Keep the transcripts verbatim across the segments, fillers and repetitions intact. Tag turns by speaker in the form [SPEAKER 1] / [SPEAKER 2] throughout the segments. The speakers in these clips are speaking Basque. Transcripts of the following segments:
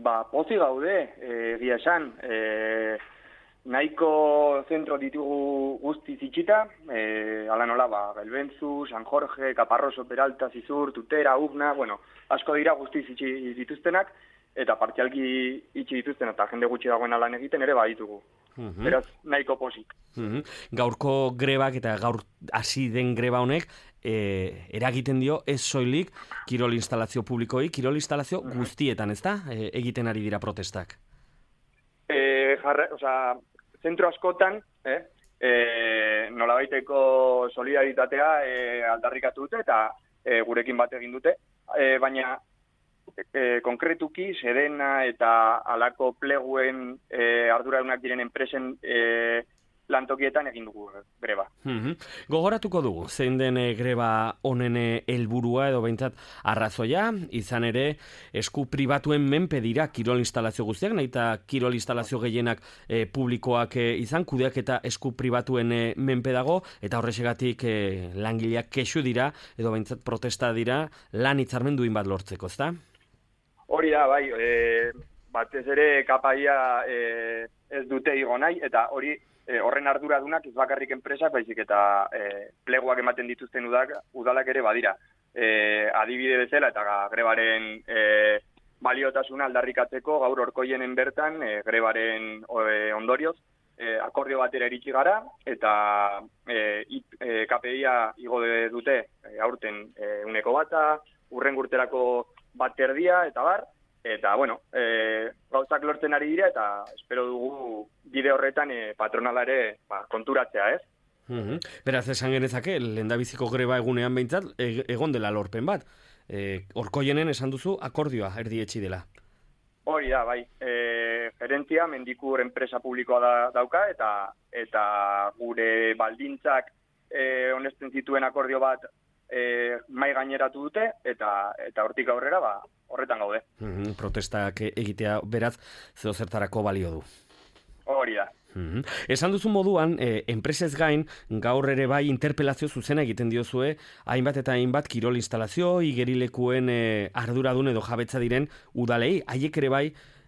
[SPEAKER 1] Ba, pozi gaude, egia esan, e, nahiko zentro ditugu guzti zitxita, e, ala nola, ba, Belbentzu, San Jorge, Caparroso, Peralta, Zizur, Tutera, Ufna, bueno, asko dira guzti zitxi dituztenak, eta partzialki itxi dituzten, eta jende gutxi dagoen lan egiten ere baditugu.
[SPEAKER 2] Mhm.
[SPEAKER 1] Beraz, nahiko pozik.
[SPEAKER 2] Mhm. Gaurko grebak eta gaur hasi den greba honek e, eragiten dio ez soilik kirol instalazio publikoi, kirol instalazio guztietan, ezta? E, egiten ari dira protestak.
[SPEAKER 1] E, jarra, osea, zentro askotan, eh, e, nolabaiteko solidaritatea e, aldarrikatu dute eta e, gurekin bat egin dute, e, baina e, konkretuki Sedena eta alako pleguen e, arduradunak diren enpresen e, lantokietan egin dugu greba.
[SPEAKER 2] Mm-hmm. Gogoratuko dugu, zein den e, greba honen helburua edo behintzat arrazoia, izan ere esku pribatuen menpe dira kirol instalazio guztiak, nahi eta kirol instalazio gehienak e, publikoak e, izan, kudeak eta esku pribatuen e, menpe dago, eta horrexegatik e, langileak kexu dira, edo behintzat protesta dira, lan hitzarmen duin bat lortzeko, ezta?
[SPEAKER 1] Hori da, bai, e, batez ere kapaia e, ez dute igo nahi, eta hori E, horren arduradunak ez bakarrik enpresak, baizik eta e, pleguak ematen dituzten udak, udalak ere badira. E, adibide bezala eta grebaren e, baliotasuna aldarrikatzeko gaur orkoienen bertan e, grebaren e, ondorioz e, akordio batera iritsi gara eta e, e, K P I-a igo dute e, aurten e, uneko bata, urren urterako bat erdia eta bar. Eta, bueno, e, gauzak lortzen ari dira eta espero dugu bide horretan e, patronalare ba, konturatzea, ez?
[SPEAKER 2] Mm-hmm. Beraz, esan genezake, lehendabiziko greba egunean behintzat, e, egon dela lorpen bat. E, Orkoienen esan duzu akordioa erdietsi dela.
[SPEAKER 1] Hori da, bai. E, gerentzia, Mendikur enpresa publikoa da, dauka eta eta gure baldintzak e, onesten zituen akordio bat e, mai gaineratu dute eta eta hortik aurrera, ba, horretan gaude.
[SPEAKER 2] Mm-hmm. Protestak egitea beraz zeo zertarako balio du.
[SPEAKER 1] Hori da.
[SPEAKER 2] Mm-hmm. Esan duzu moduan, eh, enpresez gain, gaur ere bai interpelazio zuzena egiten diozue, hainbat eta hainbat kirol instalazio, igerilekuen eh, arduradun edo jabetza diren udalei, haiek ere bai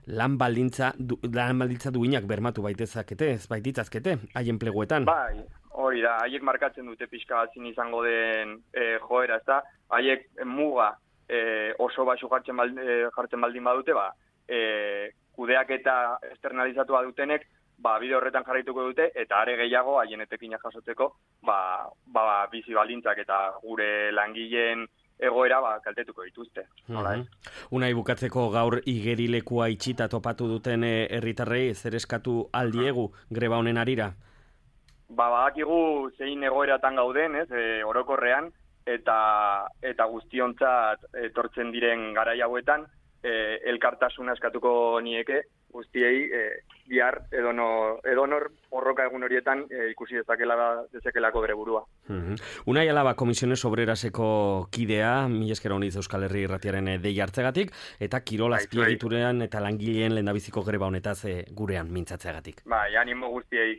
[SPEAKER 2] lan baldintza, du, lan baldintza duinak bermatu baitezakete, ez baititzazkete, haien pleguetan.
[SPEAKER 1] Bai, hori da, haiek markatzen dute pixka zin izango den eh, joera, ez da, haiek muga E, oso baxu jartzen, baldin, e, jartzen baldin badute, ba, e, kudeak eta externalizatua dutenek, ba, bide horretan jarraituko dute, eta are gehiago, haien etekina jasotzeko, ba, ba, bizi baldintzak eta gure langileen egoera ba, kaltetuko dituzte. Nola,
[SPEAKER 2] mm-hmm. Unai bukatzeko gaur igerilekua itxita topatu duten herritarrei zer eskatu aldiegu greba honen arira?
[SPEAKER 1] Ba, badakigu zein egoeratan gauden, ez, e, orokorrean, eta eta guztiontzat etortzen diren garai hauetan e, elkartasuna eskatuko nieke guztiei e, bihar edonor, edonor borroka egun horietan e, ikusi dezakela dezakelako bere burua.
[SPEAKER 2] Mm-hmm. Unai Alaba Komisiones Obreraseko kidea, mila esker honiz Euskal Herri Irratiaren dei hartzegatik, eta kirol azpiegiturean eta langileen lehendabiziko greba honetaz e, gurean mintzatzeagatik.
[SPEAKER 1] Bai, animo guztiei.